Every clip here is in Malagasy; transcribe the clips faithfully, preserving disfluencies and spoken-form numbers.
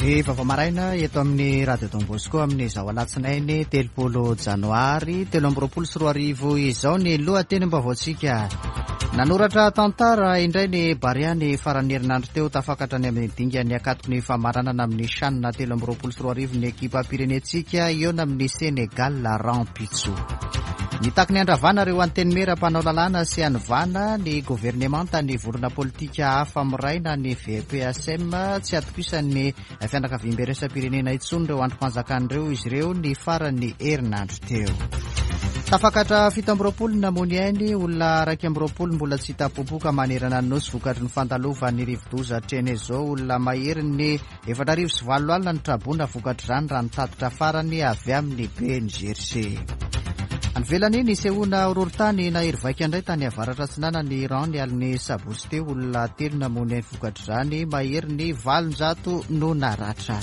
Ny vaovao maraina eto amin'ny Radio Don Bosco amin'izao alatsinainy telopolo janoary telo amby roapolo sy roa arivo izao ny lohatenim-baovaontsika. Nanoratra tantara indray ny Barea ny faran'ny herinandro teo, tafakatra ny amin'ny dingan'ny ankatoky ny famaranana amin'ny CHAN telo amby roapolo sy roa arivo ny ekipam-pirenentsika hihaona amin'ny Sénégal rahampitso. Nitaky ny andravana ireo antenimiera mpanao lalàna sy hanovana ny governemanta ny vondrona politika hafa miraina ny V P A S M. Tsy atokisan'ny fianakaviambe iraisam-pirenena intsony ireo andrim-panjakana ireo izy ireo ny faran'ny herinandro teo. Tafakatra fito amby roapolo namoy ainy, olona raiky amby roapolo mbola tsy hita popoka manerana ny nosy vokatry ny fandalovan'ny rivodoza Cheneso. Olona mahery ny efatra arivo sy valo alina ny traboina vokatr'izany raha nitatitra farany avy amin'ny B N G R C. Any ivelany, nisehoana horohorontany nahery vaika indray tany avaratra atsinanan'i Iran ny alin'ny sabotsy teo. Olona telo namoy ainy vokatr'izany, mahery ny valonjato no naratra.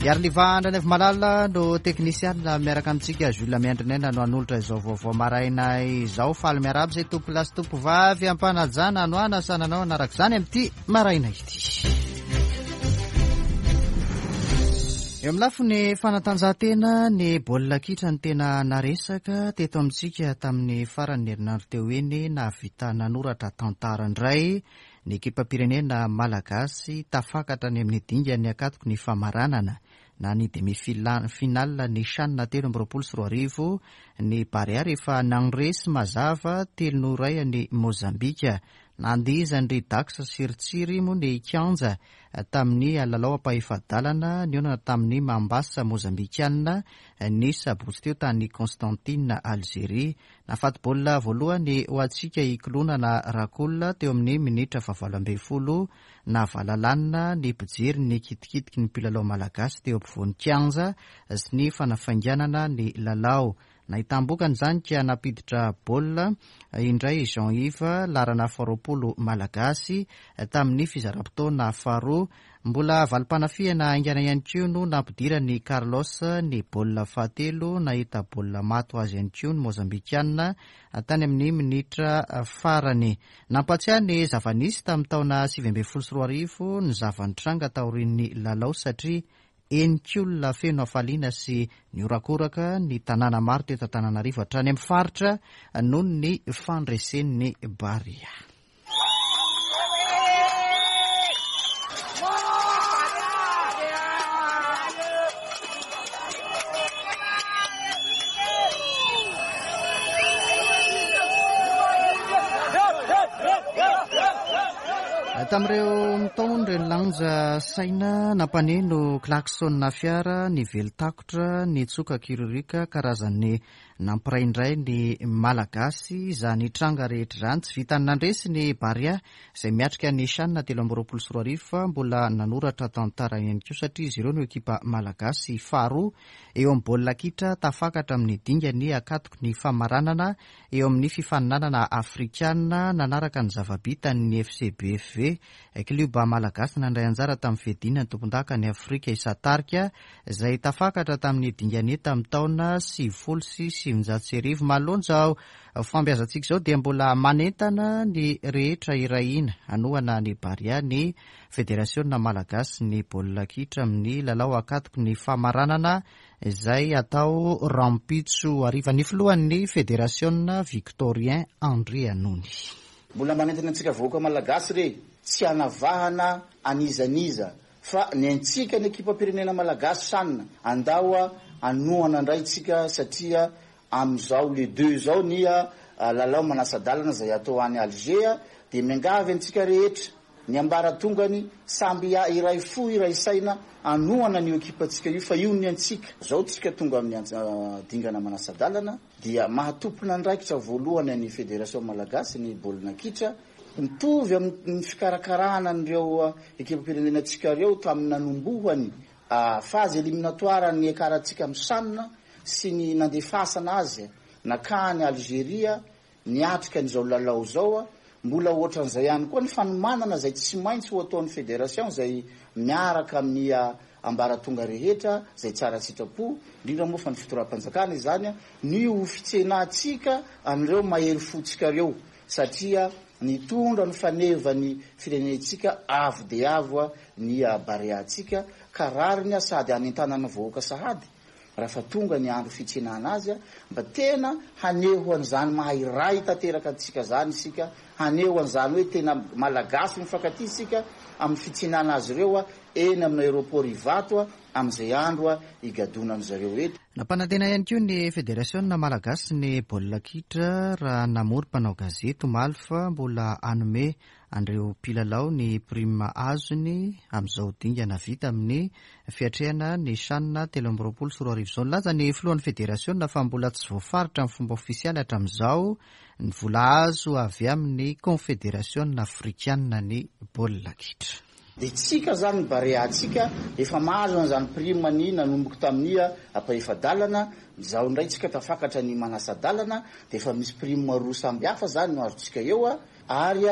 Iariniva Malala no teknisiana miaraka amintsika. Jules Miandrinaina no hanolotra izao vaovao maraina izao. Faly miarahaba izay tompo lahy sy tompo vavy ampanajana no anasananao anaraka izany amin'ity maraina ity. Eo amin'ny lafiny fanatanjahantena, ny baolina kitra ny tena naresaka teto amintsika tamin'ny faran'ny herinandro teo iny. Nahavita nanoratra tantara indray ny ekipam-pirenena malagasy, tafakatra ny amin'ny dingan'ny ankatoky ny famaranana na ny demi-finale ny CHAN telo amby roapolo sy roa arivo ny Barea rehefa nandresy mazava telo noho iray ny Mozambika. Nandihizan'ny Dax sy ry Tsiry moa ny kianja tamin'ny lalao ampahefa-dalana nihaonana tamin'ny Mambasa mozambikanina ny sabotsy teo tany Constantine, Algeria. Nahafaty baolina voalohany ho antsika i Kilonana Rakola teo amin'ny minitra fahavalo ambin'ny folo. Navalalanina ny mpijery ny kitikitiky ny mpilalao malagasy teo ampovoan'ny kianja sy ny fanafainganana ny lalao. Nahitam-bokany izany ka nampiditra baolina indray Jean Yves, laharana faharoapolo malagasy, tamin'ny fizaram-potoana faharoa. Mbola valim-panafihana haingana ihany koa no nampidirany Carlos ny baolina fahatelo. Nahita baolina maty ho azy ihany koa ny mozambikanina tany amin'ny minitra farany. Nampatsiahy ny zava-nisy tamin'ny taona sivy ambin'ny folo sy roa arivo ny zava-nitranga taorian'ny lalao, satria henik'olona feno hafaliana sy niorakoraka ny tanàna maro teto Antananarivo hatrany amin'ny faritra noho ny fandresen'ny Barea. Tamin'ireo mitaony ireny lanja saina, nampaneno klaxon fiara, ny velitakotra, ny tsoka kiririka, karazany nampiraindray ny malagasy izany tranga rehetra izany. Tsy vitany nandresy ny Barea izay miatrika ny CHAN telo amby roapolo sy roa arivo fa mbola nanoratra tantara ihany koa, satria izy ireo no ekipa malagasy faharoa eo amin'ny baolina kitra tafakatra amin'ny dingany ankatoky ny famaranana eo amin'ny fifaninanana afrikana, nanaraka ny zava-bitan'ny F C B F V, klioba malagasy nandray anjara tamin'ny fiadiana ny tompondaka ny Afrika isan-tarika izay tafakatra tamin'ny dingany tamin'ny taona sivifolo sy sivinjato sy arivo. Manoloana izao fambiazantsika izao dia mbola manentana ny rehetra iray hina hanohana ny Barea ny Federasiona malagasy ny baolina kitra amin'ny lalao ankatoky ny famaranana izay atao rahampitso hariva. Ny filohan'ny federasiona, Victorien Andrianony. Mbola manentana antsika vahoaka malagasy re, tsy anavahana anizaniza fa ny antsika ny ekipa-pirenena malagasy CHAN, andao hanohana indray tsika satria am'izao le deux zao ny lalao manasa-dalana zay atao any Alger, de miangavy antsika rehetra ny ambaratongany samby iray fo iray saina hanohana ny ekipantsika io fa io ny antsika zao. Tsika tonga amin'ny dingana manasa-dalana dia mahatompona andraikitra voalohany any Fédération malagasy ny baolina kitra, mitovy amin'ny fikarakarahana an'ireo ekipa-pirenenantsika reo tamin'ny nanombohany phase éliminatoire ny akaratsika amy CHAN sy ny nandefasana azy nakany Algeria niatrika an'izao lalao zao a, mbola ohatran'izay ihany koa ny fanomanana zay tsy maintsy ho ataon'ny fédération zay miaraka amin'ny ambaratonga rehetra zay tsara sitrapo, indrindra moa fa ny fitondram-panjakana izany a, ny ho fitsenatsika an'ireo mahery fotsika reo satria Nitondra ny fanevany firenentsika avo dia avo ny Bareantsika, ka rariny sady anentanana vahoaka sahady raha tonga ny andro fitsenana azy, mba tena haneho an'izany maha iray tanteraka antsika zany isika, haneho an'izany hoe tena Malagasy mifankatia isika amin'ny fitsenana azy ireo eny amin'ny aéroport Ivato amin'izay andro higadonany zareo eto. Nampanantena ihany koa ny Federasiona Malagasy ny baolina kitra raha namory mpanao gazety omaly fa mbola hanome an'ireo mpilalao ny prime azony amin'izao dingana vita amin'ny fiatrehana ny CHAN telo amby roapolo sy roa arivo izao. Nilaza ny filohan'ny federasiona fa mbola tsy voafaritra amin'ny fomba ofisialy hatramin'izao ny vola azo avy amin'ny Confédération africaine ny baolina kitra. Dia tsika zany ny Bareantsika efa mahazo an'izany prime ny nanomboka tamin'ny ampahefa-dalana, izao indray tsika tafakatra ny manasa-dalana, dia efa misy prime roa samby hafa zany no azontsika eo, ary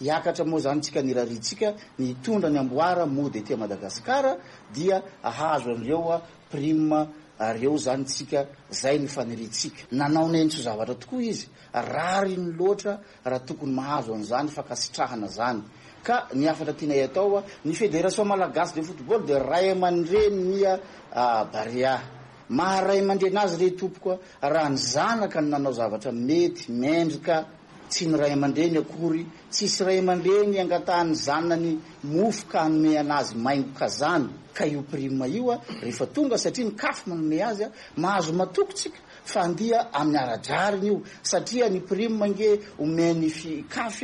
hiakatra moa zany tsika ny raritsika ny hitondra ny amboara mody aty Madagasikara dia ahazo an'ireo prime reo zany tsika, zay ny faniriantsika. Nanao nentso zavatra tokoa izy, rariny loatra raha tokony mahazo an'izany fankasitrahana zany. Ka ny hafatra tianay atao, ny Fédération Malagasy de football dia ray aman-dreny ny Barea. Maha ray aman-dreny azy re tompoko, raha ny zanaka no nanao zavatra mety mendrika, tsy ny ray aman-dreny akory, tsisy ray aman-dreny angatahany zanany mofo ka hanome anazy maingoka zany. Ka io prime io rehefa tonga, satria ny CAF manome azy, mahazo matoko tsika fa andia amin'ny ara-drariny io, satria ny prime nge omeny CAF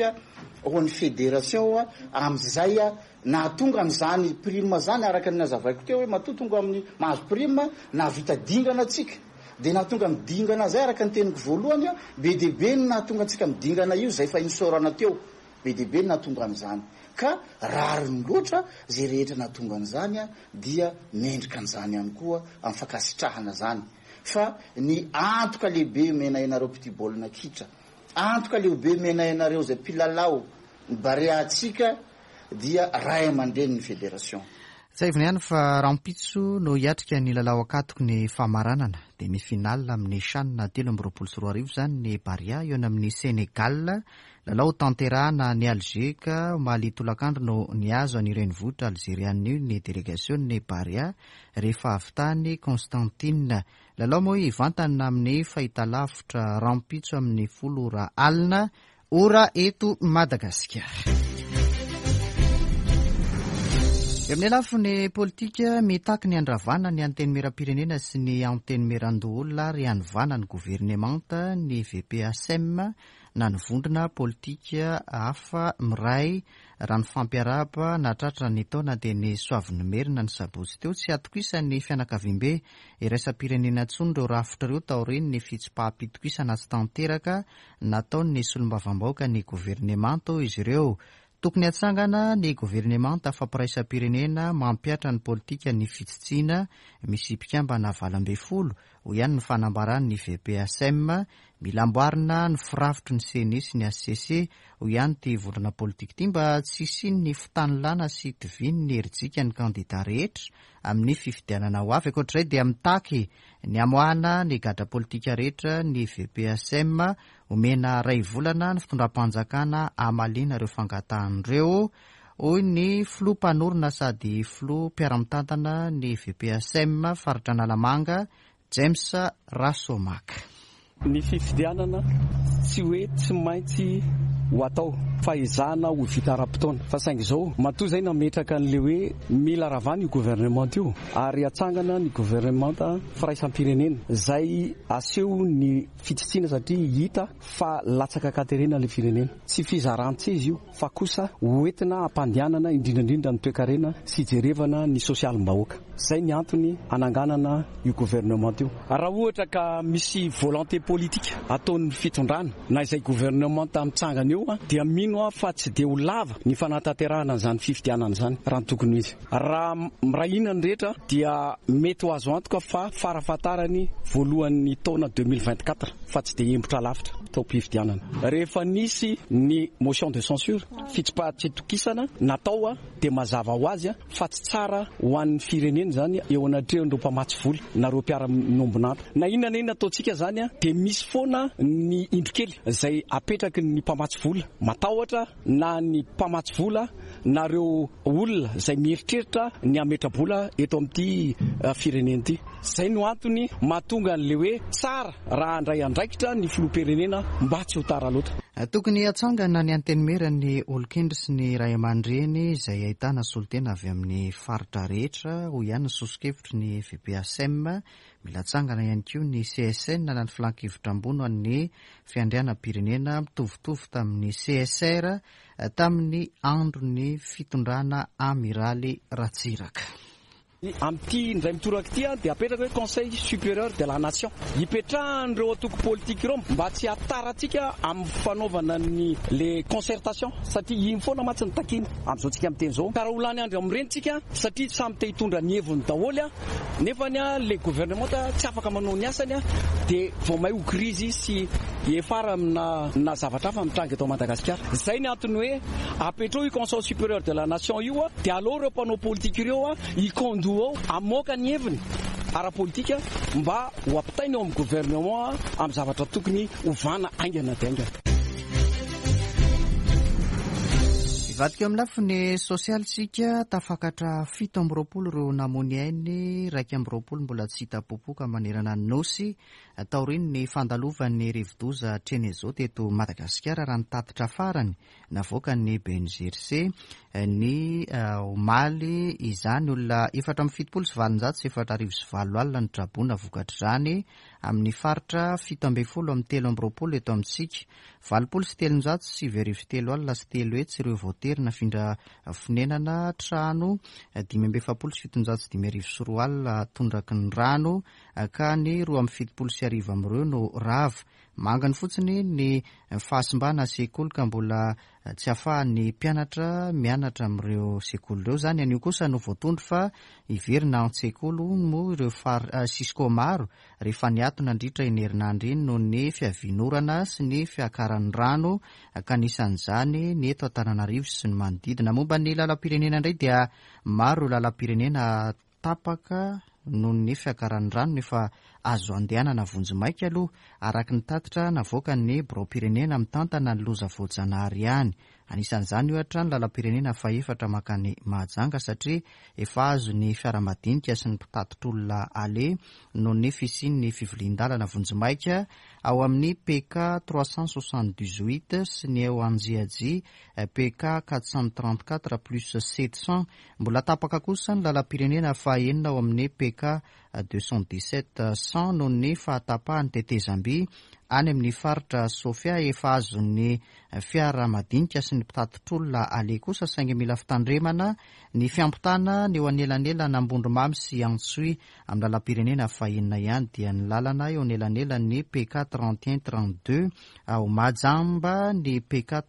ho an'ny fédération amin'izay nahatonga an'izany prime zany, araka ny nazavaiko teo hoe matoa tonga amin'ny mahazo prime nahavita dingana atsika, dia nahatonga amin'ny dingana zay araka ny teniko voalohany, be dia be no nahatonga antsika amin'ny dingana io zay fa nisaorana teo, be dia be no nahatonga an'izany. Ka rariny loatra zay rehetra nahatonga an'izany dia mendrika an'izany ihany koa amin'ny fankasitrahana zany. Fa ny antoka lehibe omena ianareo mpitia baolina kitra, antoka lehibe omena ianareo zay mpilalao ny Bareantsika dia ray aman-dreny ny fédération. Tsiahivina ihany fa rahampitso no hiatrika ny lalao ankatoky ny famaranana demi-finale amin'ny CHAN telo amby roapolo sy roa arivo zany ny Barea eo amin'ny Sénégal. Lalao tanterahana ny Alger, ka omaly tolakandro no niazo any renivohitra algeriana io ny délégation ny Barea rehefa avy tany Constantine. Lalao moa hivantana amin'ny fahitalavitra rahampitso amin'ny folo ora alina ora eto Madagasikara. Eo amin'ny lafiny politika, mitaky ny andravana ny antenimieram-pirenena sy ny antenimieran-doholona ary hanovana ny governemanta ny V P A S M na ny vondrona politika hafa miray raha ny fampiaraba natratra ny taona dia ny Soavinimerina ny sabotsy teo. Tsy atokisany fianakaviambe iraisam-pirenena intsony ireo rafitra ireo taorian'ny ny fitsipaham-pitokisana tsy tanteraka nataon'ny solombavambahoaka ny governemanta izy ireo. Tokony hatsangana ny governemanta fampiraisam-pirenena mampihatra ny politika ny fitsitsiana misy mpikambana valo ambin'ny folo, hoy ihany ny fanambarany ny V P A S M. Mila amboarina ny firafitry ny CENI sy ny H C C, hoy ihany ty vondrona politika ity, mba tsy hisian'ny fitanilana sy tiviny ny herijika ny kandida rehetra amin'ny fifidianana ho avy. Ankoatr'izay dia mitaky ny amoahana ny gadra politika rehetra ny V P A S M. Omena ray volana ny fitondram-panjakana hamaliana ireo fangatahan'ireo, hoy ny filoha mpanorina sady filoha mpiara-mitantana ny V P A S M faritra Analamanga, James Rasomaka. Ny fifidianana tsy hoe tsy maintsy ho atao fa ezahana ho vita ara-potoana, fa saingy izao matoa zay nametraka an'le hoe mila ravana io gouvernement io ary atsangana ny gouvernement firaisam-pirenena zay aseho ny fitsitsiana, satria hita fa latsaka an-katerena le firenena. Tsy fizaran-tseza io fa kosa hoentina ampandehanana indrindrandrindra ny toekarena sy jerevana ny sosialim-bahoaka. Zay ny antony ananganana io gouvernement io. Raha ohatra ka misy volonté politique ataon'ny fitondrana na izay gouvernement mitsangana eo dia mino aho fa tsy de ho lava ny fanatanterahana an'izany fifidianana zany. Raha ny tokony izy, raha mirahina ny rehetra dia mety ho azo antoka fa farafahatarany voalohan'ny taona deux mille vingt-quatre, fa tsy de hembotra lavitra taom-pifidianana. Rehefa nisy ny motion de censure, fitsipaha-pitokisana natao a dia mazava ho azy a fa tsy tsara ho an'ny firenena. ireny zany eo anatrehan'ireo mpamatsy vola na ireo mpiara-miombon'antoka. Na inona na inona ataontsika zany a, dia misy foana ny indro kely izay apetraky ny mpamatsy vola, matahotra na ny mpamatsy vola na ireo olona izay mieritreritra ny hametra-bola eto amin'ity firenena ity. Izay no antony mahatonga an'ilay hoe tsara raha handray andraikitra ny filoham-pirenena mba tsy ho tara loatra. Tokony hatsangana ny antenimieran'ny olon-kendry sy ny ray aman-dreny izay ahitana solontena avy amin'ny faritra rehetra, hoy ihany ny soso-kevitry ny V P A S M. Mila atsangana ihany koa ny C S N na ny filan-kevitra ambony ny fiandrianam-pirenena, mitovitovy tamin'ny C S R tamin'ny andron'ny fitondrana Amiraly Ratsiraka. Amin'ity indray mitoraka ity a, dia apetraka hoe Conseil supérieur de la nation hipetrahan'ireo antoko politika ireo mba tsy hataratsika amin'ny fanaovana ny le concertation, satria iny foana mantsy ny takina amin'izao tsika miteny zao, ka raha ho lany andro amin'ireny tsika satria samy te hitondra ny heviny daholo a, nefa ny a le gouvernement tsy afaka manao ny asany a, dia vao may ho krizy sy efara amina na zavatra hafa mitranga eto Madagasikara. Zay ny antony hoe apetrao io Conseil supérieur de la nation io a, dia aleo ireo mpanao politika ireo a ikondo ao amoaka ny heviny ara-politika mba ho ampitainy eo amin'ny gouvernement amin'ny zavatra tokony hovana aingana dia aingana. Ivadika amin'ny lafiny sosialy tsika. Tafakatra fito amby roapolo ireo namony ainy, raika amby roapolo mbola tsy hita popoka manerana ny nosy taorian'ny fandalovan'ny rivodoza Cheneso teto Madagasikara, raha ny tatitra farany navoaka ny B N G R C ny omaly izany. Olona efatra amby fitopolo sy valonjato sy efatra arivo sy valo alina ny traboina vokatr'izany amin'ny faritra fito amby folo amin'ny telo amby roapolo eto amintsika. Valopolo sy telonjato sivy arivo telo alina sy telo hetsy ireo voatery nafindra fonenana, trano dimy amby efapolo sy fitonjato sy dimy arivo sy roa alina tondraky ny rano, ka ny roa amby fitopolo sy arivo amin'ireo no rava. Mangany fotsiny ny fahasimbana sekoly ka mbola tsy ahafahan'ny mpianatra mianatra amin'ireo sekoly ireo zany. Anio kosa no voatondro fa hiverina an-tsekoly moa ireo far Cisco maro rehefa niato nandritra iny herinandro iny noho ny fiavian'orana sy ny fiakaran'ny rano, ka anisan'izany ny eto Antananarivo sy ny manodidina. Momba ny lalam-pirenena indray dia maro ireo lalam-pirenena tapaka noho ny fiakaran'ny rano nefa azo andehanana vonjimaika aloha, araka ny tatitra navoaka ny birao-pirenena mitantana ny loza voajanahary ihany. Anisan'izany ohatra ny lalam-pirenena fahefatra makany Mahajanga, satria efa azo ny fiaramadinika sy ny mpitatitr'olona ale noho ny fisian'ny fivilian-dalana vonjimaika ao amin'ny P K trois cent soixante-dix-huit sy ny eo Anjiajy P K quatre cent trente-quatre plus sept cents. Mbola tapaka kosa ny lalam-pirenena fahenina ao amin'ny P K deux cent dix-sept cent noho ny fahatapahan'ny tetezamby any amin'ny faritra Sofia. Efa azon'ny fiara madinika sy ny mpitatitr'olona ale kosa, saingy mila fitandremana ny fiampitana ny eo anelanelana Ambondromamy sy Antsohihy. Amin'ny lalam-pirenena fahenina ihany dia ny lalana eo anelanelan'ny P K trente et un trente-deux ao Mahajamba, ny P K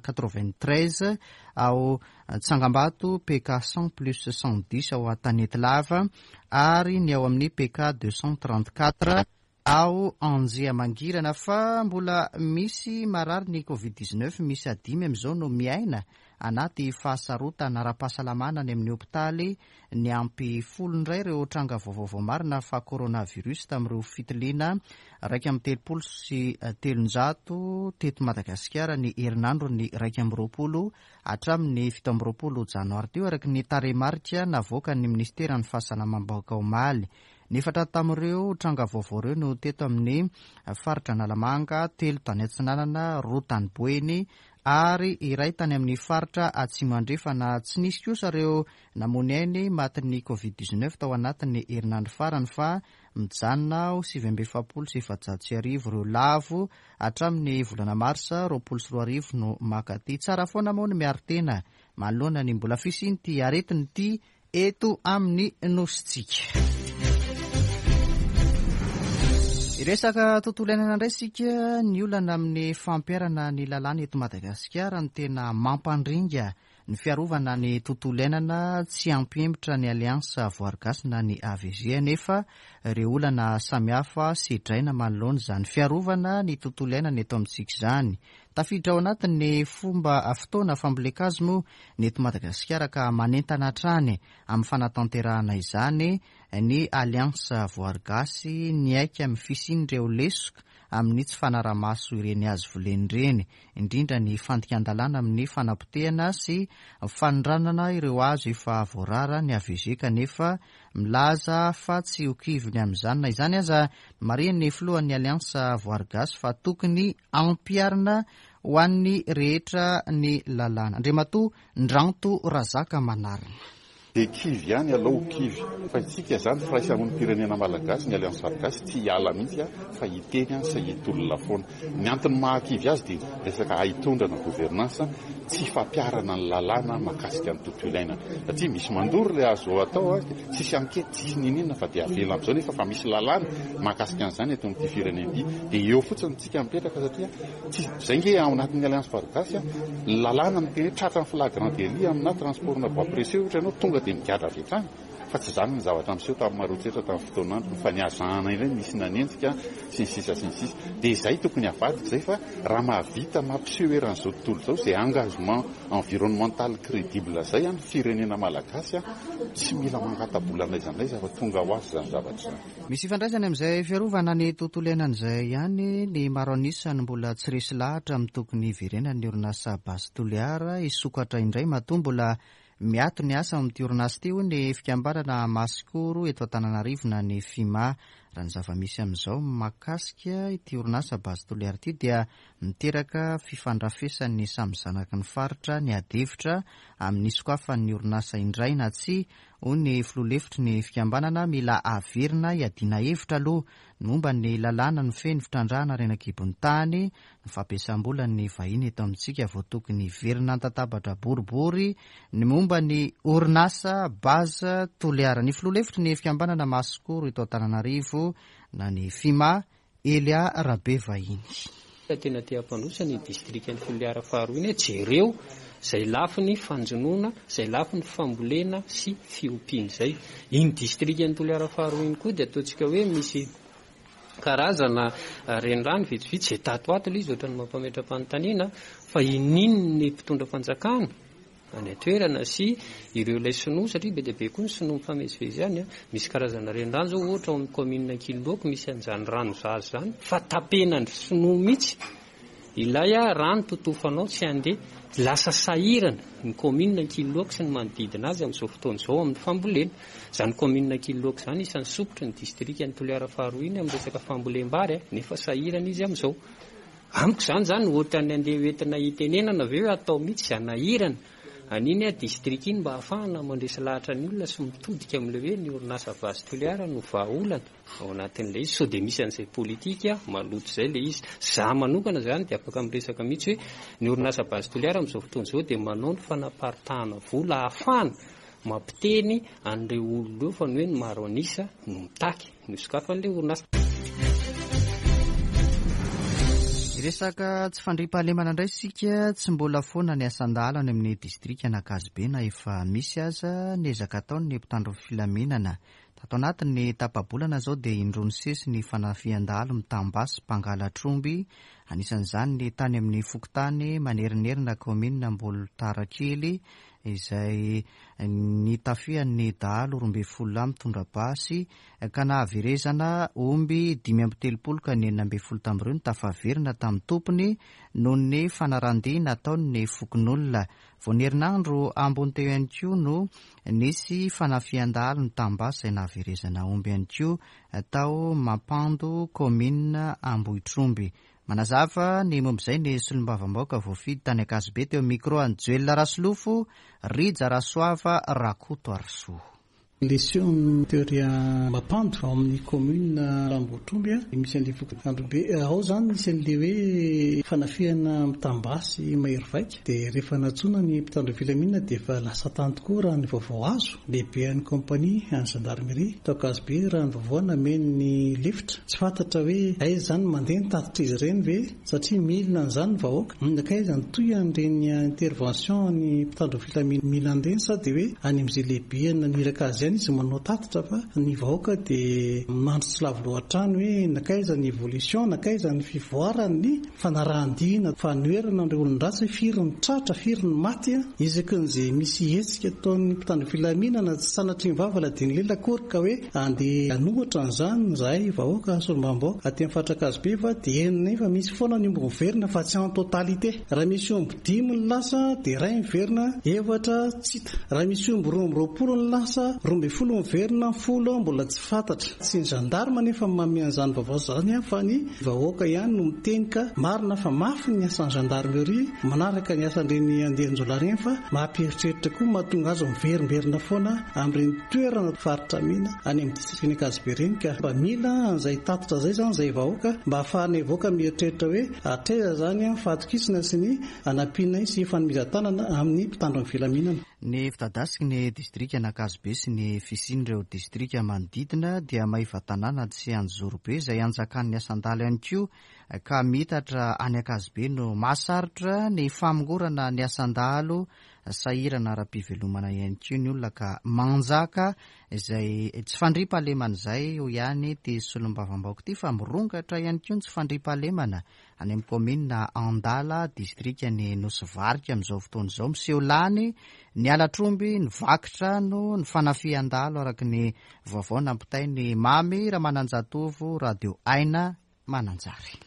quatre-vingt-treize ao Tsangambato, P K cent plus cent dix ao Antanety Lava ary ny ao amin'ny P K deux cent trente-quatre ao Anjia Mangirana. Fa mbola misy marary ny covid dix-neuf, misy adimy amin'izao no miaina anaty fahasarotana ara-pahasalamana any amin'ny hopitaly. Ny ampy folo indray ireo tranga vaovao marina fa coronavirus tamin'ireo fitiliana raika amby telopolo sy telonjato teto Madagasikara ny herinandro ny raika amby roapolo hatramin'ny fito amby roapolo janoary teo, araka ny tarehimarika navoaka ny ministeran'ny fahasalamam-bahoaka omaly. Nefatra tamin'ireo tranga vaovao ireo no teto amin'ny faritra Analamanga, telo tany Atsinanana, roa tany Boeny ary iray tany amin'ny faritra Atsimo Andrefana. Tsy nisy kosa ireo namony ainy matin'ny covid dix-neuf tao anatin'ny herinandro farany, fa mijanona ho sivy amby efapolo sy efajato sy arivo ireo lavo hatramin'ny volana marsa roapolo sy roa arivo no makaty. Tsara foana moa ny miaro tena manoloana ny mbola fisian'ity aretina ity eto amin'ny nosintsika. Resaka tontolo iainana indray sika. Ny olana amin'ny fampiharana ny lalàna eto Madagasikara ny tena mampandringa ny fiarovana ny tontolo iainana. Tsy ampihemotra ny Alliance Voahary Gasy na ny A V G nefa ireo olana samihafa sedraina manoloana izany fiarovana ny tontolo iainana eto amintsika izany. Tafiditra ao anatin'ny fomba fotoana fambolen-kazo moa ny eto Madagasikara ka manentana hatrany amin'ny fanatanterahana izany ny Alliance Voahary Gasy niaiky amin'ny fisian'ireo lesoka amin'ny tsy fanarahamaso ireny hazo volena ireny, indrindra ny fandikan-dalàna amin'ny fanapotehana sy fanondranana ireo hazo efa voarara ny A V G, kanefa milaza fa tsy ho kivy amin'izany. Na izany aza, marihan'ny filohan'ny Alliance Voahary Gasy fa tokony ampiharina ho an'ny rehetra ny lalàna. Andriamatoa Ndranto Razaka Manarina. De kivy ihany aloha, kivy fa itsika zany firaisamonim-pirenena malagasy, ny Alliance Voahary Gasy tsy hiala mihitsy a fa hiteny a sy hitolona foana. Ny antony mahakivy azy dia resaka haitondrana, gouvernance, tsy fampiharana ny lalàna mahakasika ny tontolo iainana, satria misy mandoro le azo atao a tsisy enquête, tsisy nininona, fa dia avela am'izao, nefa fa misy lalàna mahakasika an'izany eto amin'ity firenena ity. Dia eo fotsiny tsika mipetraka, satria tsy zay nge ao anatin'ny Alliance Voahary Gasy a ny lalàna miteny hoe tratra ny flagrant délit amina transport na bois précieux ohatra ianao, tonga dia migadra avy hatrany, fa tsy zany ny zavatra miseho tamin'ny Maroantsetra tamin'ny fotoan'andro fa ny azahana indray misy nanenjika sy ny sisa sy ny sisa. Dia izay tokony avadika zay, fa raha mahavita mampiseho eran'izao tontolo izao zay engagement environnemental crédible zay a ny firenena malagasy a tsy mila mangata-bola n'aiza n'aiza fa tonga ho azy zany zavatra zany. Misy ifandraisany amin'izay fiarovana ny tontolo iainan'izay ihany ny maro anisany mbola tsy resy lahatra amin'ny tokony hiverenan'ny orinasa Base Toliara hisokatra indray. Matoa mbola miato ny asa amin'ity orinasa ity, hoy ny fikambanana Masikoro eto Antananarivo na ny FIMA. Raha ny zava-misy amin'izao mahakasika ity orinasa Base Toliara ity dia miteraka fifandrafesan'ny samy zanaky ny faritra ny adihevitra amin'ny sokafan'ny orinasa indray na tsy, hoy ny filoha lefitry ny fikambanana. Mila averina hiadiana hevitra aloha ny momba ny lalàna ny feny fitrandrahana harena an-kibon'ny tany, ny fampiasam-bola ny vahiny eto amintsika vao tokony hiverina an-tatabatra boribory ny momba ny orinasa Base Toliara. Ny filoha lefitry ny fikambanana Masikoro eto Antananarivo na ny FIMA, Elia Rabe Vahiny. Tena te hampandroso ny distrika ny Toliara faharoa iny, jereo zay lafiny fanjonoana, zay lafiny fambolena sy fiompiana zay. Iny distrika ny Toliara faharoa iny koa dia ataontsika hoe misy karazana renirano vitsivitsy zay tato ato ilay izy ohatrany mampametra-panontaniana fa ininy ny mpitondra fanjakana any an-toerana sy ireo ilay sinoa, satria be dia be koa ny sinoa mifamezivezy any a misy karazana renirano zao, ohatra ao amin'ny commune Ankililoaka misy an'izany rano zazy zany fa tapenany sinoa mihitsy ilay a rano totofanao tsy andeha. Lasa sahirana ny commune Ankililoaka sy ny manodidina azy amin'izao fotoana izao amin'ny fambolena. Zany commune Ankililoaka zany isan'ny sopotry ny distrika ny Toliara faharoa iny amin'ny resaka fambolem-bary a nefa sahirana izy amin'izao. Amiko zany zany ohatrany andeha hoentina hitenenana avy eo atao mihitsy zanahirana an'iny a distrika iny mba ahafahana mandresy lahatra ny olona sy mitodika amin'ilay hoe ny orinasa Base Toliara no vahaolana ao anatin'ilay izy, sao dia misy an'izay politika maloto zay le izy. Za manokana zany dia afaka miresaka mihitsy hoe ny orinasa Base Toliara amin'izao fotoana izao dia manao ny fanaparitahana vola ahafahana mampiteny an'ireo olona eo fa ny hoe ny maro anisa no mitaky ny sokafan'ilay orinasa. Resaka tsy fandriampahalemana indray sika. Tsy mbola foana ny asan-dahalo any amin'ny distrika an'Ankazobe na efa misy aza ny ezaka ataony ny mpitandro filaminana. Tato anatin'ny tapa-bolana zao dia indroa nisesy ny fanafihan-dahalo mitam-basy mpangalatr'omby, anisan'izany ny tany amin'ny fokontany Manerinerina, kaominina Ambolitarakely, izay nitafihan'ny dahalo roa ambin'ny folo lahy mitondra basy ka nahaverezana omby dimy amby telopolo, ka ny enina ambin'ny folo tamin'ireo no tafaverina tamin'ny tompony noho ny fanarahan-dia nataon'ny fokonolona. Vao ny herinandro ambony teo ihany koa no nisy fanafihan-dahalo nitam-basy izay nahaverezana omby ihany koa tao Mampando, kaominina Ambohitromby. Manazava ny momba izay ny solombavambahoaka voafidy tany Ankazobe teo micro an'i Joel Rasolofo Rija Rasoava Rakoto Arsoa. Lesion teoria Mampando ao amin'ny commune Ambohitromby a misy an'le fokontany ao zany, misy an'le hoe fanafihana mitam-basy mahery vaika, dia rehefa nantsoina ny mpitandro filaminana dia efa lasa tany tokoa. Raha ny vaovao azo, lehibe an'ny compagnie any gendarmerie tao Ankazobe, raha ny vaovao nameny ny lefitra, tsy fantatra hoe aiza zany mandeha ny tatitra izy ireny ve, satria milina an'izany ny vahoaka nakaiza ny toy an'ireny intervention ny mpitandro filaminana mila an'ireny, sa dia hoe any amin'izay lehibe naniraka azy. ihany izy manao tatitra fa ny vahoaka dia mandro tsy lavo loha hatrany hoe nakaiza ny évolution, nakaiza ny fivoaran'ny fanarahan-dia fanoherana ireo olon-dratsy, hoe firy ny tratra, firy ny maty. Isaky n'izay misy hetsika ataon'ny mpitandro filaminana, tsy sanatria ny vava dia ny lela akory ka hoe andeha hanohitra an'izany zahay vahoaka solombavambahoaka aty amin'ny faritra Ankazobe, fa dia henonay fa misy foana ny omby miverina fa tsy en totalité. Raha misy omby dimy ny lasa dia iray miverina, efatra tsy hita. Raha misy omby roa amby roapolo ny lasa, roa ambin'ny folo miverina, folo mbola tsy fantatra. Tsy ny gendarme nefa manome an'izany vaovao izany fa ny vahoaka ihany no miteny, ka marina fa mafy ny asan'ny gendarmerie manaraka ny asan'ireny andian-jiolahy ireny, fa mampieritreritra koa mahatonga azy miverimberina foana amin'ireny toerana faritra mena any amin'ny distrikan'i Ankazobe ireny, ka mba mila an'izay tatitra izay izany izay vahoaka mba ahafahanay vahoaka mieritreritra hoe hatraiza izany fahatokisana sy ny anampianay sy fanomezan-tanana amin'ny mpitandro ny filaminana. Ny fitadasiky ny distrikan'Ankazobe sy ny fisian'ireo distrika manodidina dia Maevatanàna sy Anjozorobe izay anjakan'ny asan-dahalo ihany koa, ka mitatra any Ankazobe no mahasarotra ny famongorana ny asan-dahalo. Sahirana ara-pivelomana ihany koa ny olona ka manjaka izay tsy fandriampahalemana izay, hoy ihany ity solombavambahoaka ity, fa mirongatra ihany koa ny tsy fandriampahalemana any amin'ny kaominina Andala, distrika ny Nosy Varika amin'izao fotoana izao. Miseho lany ny halatr'omby, ny vaky trano, ny fanafihan-dahalo, araka ny vaovao nampitainy Mamy Ramananjatovo, Radio Aina Mananjary.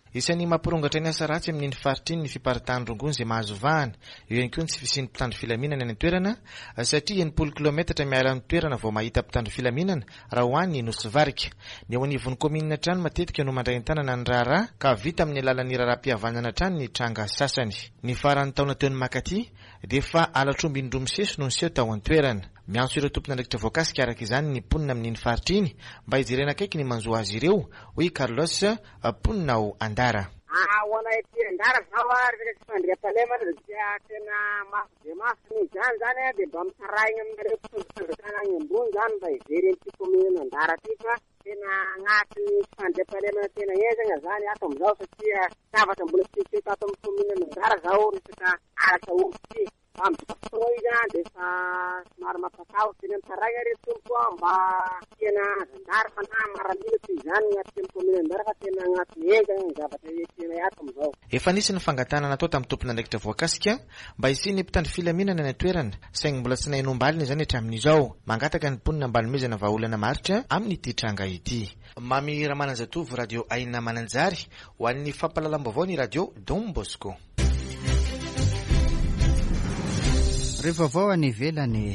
Isan'ny mampirongatra ny asa ratsy amin'iny faritra iny ny fiparitahan'ny rongony izay mahazo vahana. Eo ihany koa ny tsy fisian'ny mpitandro filaminana any an-toerana, satria enimpolo kilometatra miala ny toerana vao mahita mpitandro filaminana raha ho any Nosy Varika. Ny eo anivon'ny kaominina hatrany matetika no mandray an-tanana ny raharaha, ka vita amin'ny alalan'ny raharaham-pihavanana hatrany ny tranga sasany. Ny faran'ny taona teo ny makaty dia efa halatr'omby indroa misesy no niseho tao an-toerana. Miantso ireo tompon'andraikitra voakasika araka izany ny mponina amin'iny faritra iny mba hijerena akaiky ny manjo azy ireo, hoy Carlos, mponina ao Andara. Ho anay aty Andara zao a, resaka tsy fandriampahalemana dia tena mafy dia mafy. Noho izany zany a, dia mba mitaraigna aminareo mpitondra fanjakana any ambony zany mba hijery an'ity kaominina Andara ty, fa tena agnatin'ny tsy fandriampahalemana tena henjana zany ato amin'izao, satria zavatra mbola tsy niseho tato amin'ny kaominina Andara zao resaka halatra omby ty. Amin'izao fotoana izy a dia efa somary mampatahotra. Tena mitaraigna re tompoko a, mba tena gendarme na miaramila toy izany agnatin'ny kaominina Andara, fa tena agnatin'ny henjana ny zavatra iainanay ato amin'izao. Efa nisy ny fangatahana natao tamin'ny tompon'andraikitra voakasika mba hisian'ny mpitandro filaminana any an-toerana, saingy mbola tsy nahenom-baliny izany hatramin'izao. Mangataka ny mponina mba hanomezana vahaolana maharitra amin'ity tranga ity. Mamy Ramananjatovo, Radio Aina Mananjary, ho an'ny fampahalalam-baovao ny Radio Don Bosco. Rehefa vaovao any ivelany,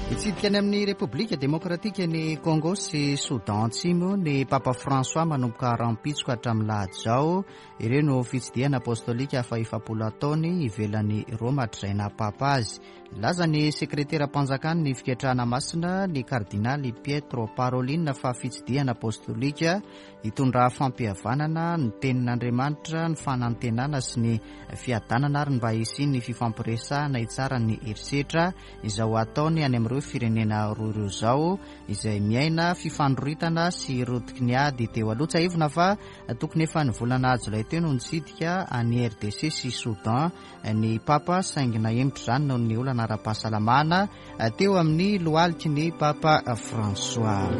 hitsidika any amin'ny Repoblika Demokratika ny Congo sy Soudan Atsimo ny Papa François manomboka rahampitso ka hatramin'ny lahady izao. Ireo no fitsidihana apostolika fahefapolo ataony ivelan'ny Roma hatrizay naha-papa azy. Nilaza ny sekretera-mpanjakany ny fiketrahana masina, ny kardinaly Pietro Parolin, fa fitsidihana apostolika hitondra fampihavanana ny tenin'Andriamanitra, ny fanantenana sy ny fiadanana ary mba hisian'ny fifampiresahana hitsara ny herisetra izao ataony any amin'ireo firenena roa ireo izao izay miaina fifandroritana sy rotiky ny ady teo aloha. Tsiahivina fa tokony efa ny volana jolay teo no nitsidika any R D C sy Soudan ny Papa, saingy nahemotra izany noho ny olana ara-pahasalamana teo amin'ny lohaliky ny Papa François.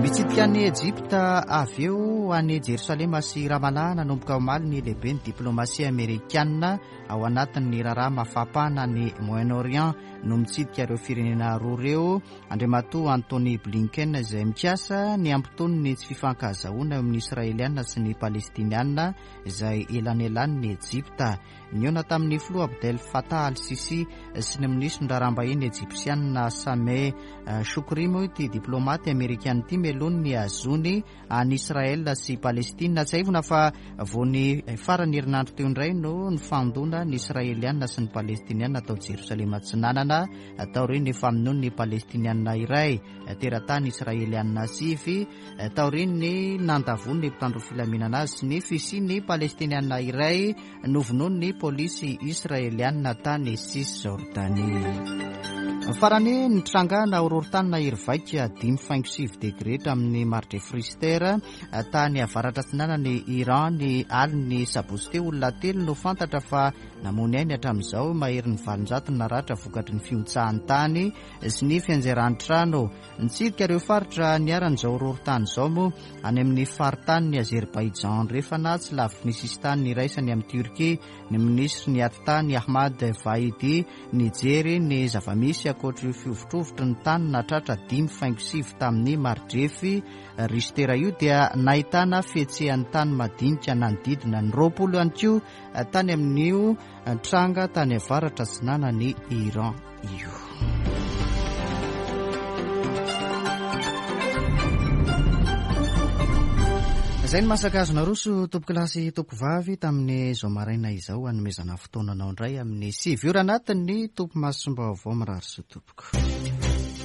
Mitsidika any Ejipta avy eo any Jerosalema sy Ramallah nanomboka omaly ny lehibe ny diplomasia amerikanina ao anatin'ny raharaha mafampana ny Moyen-Orient no mitsidika ireo firenena roa ireo, Andriamatoa Antony Blinken, izay mikasa ny hampitony ny tsy fifankahazoana eo amin'ny Israeliana sy ny Palestiniana izay elanelany Ejipta. Nihaona tamin'ny filoha Abdel Fattah al-Sisi sy ny minisitry ny raharaham-bahiny ejipsianina Sameh Shoukry moa ity diplomaty amerikana ity mialoha ny azony any Israel sy Palestina. Tsiahivina fa vao ny farany herinandro teo indray no nifandona ny Israeliana sy ny Palestiniana tao Jerosalema Atsinanana taorian'ny famonoan'ny Palestiniana iray teratany Israeliana sivy, taorian'ny nandavoan'ny mpitandro filaminana azy sy ny fisian'ny Palestiniana iray novonoan'ny polisy israeliana tany Cisjordanie. Farany, nitrangana horohorontany nahery vaika dimy faingo sivy degre tamin'ny mari-drefy Richter tany avaratra atsinanan'i Iran ny alin'ny sabotsy teo. Olona telo no fantatra fa namoy ny ainy hatramin'izao, maherin'ny valonjato ny naratra vokatry ny fihotsahan'ny tany sy ny fianjeran'ny trano. Nitsidika ireo faritra niharan'izao horohorontany izao moa any amin'ny faritanin'i Azerbaijan andrefana, tsy lavitry ny sisintany iraisany amin'i Turquie, ny minisitry ny atitany Ahmad Vahidi nijery ny zava-misy. Ankoatra io fihovitrovitry ny tany nahatratra dimy faingo sivy tamin'ny mari-drefy Richter io dia nahitana fihetsehan'ny tany madinika nanodidina ny roapolo ihany koa tany amin'io tranga tany avaratra atsinanan'i Iran io. Izay ny masaka azo naroso tompoko lahy sy tompoko vavy tamin'izao maraina izao. Hanomezana fotoana anao indray amin'ny sivy ora anatin'ny topimasom-baovao. Mirary soa tompoko.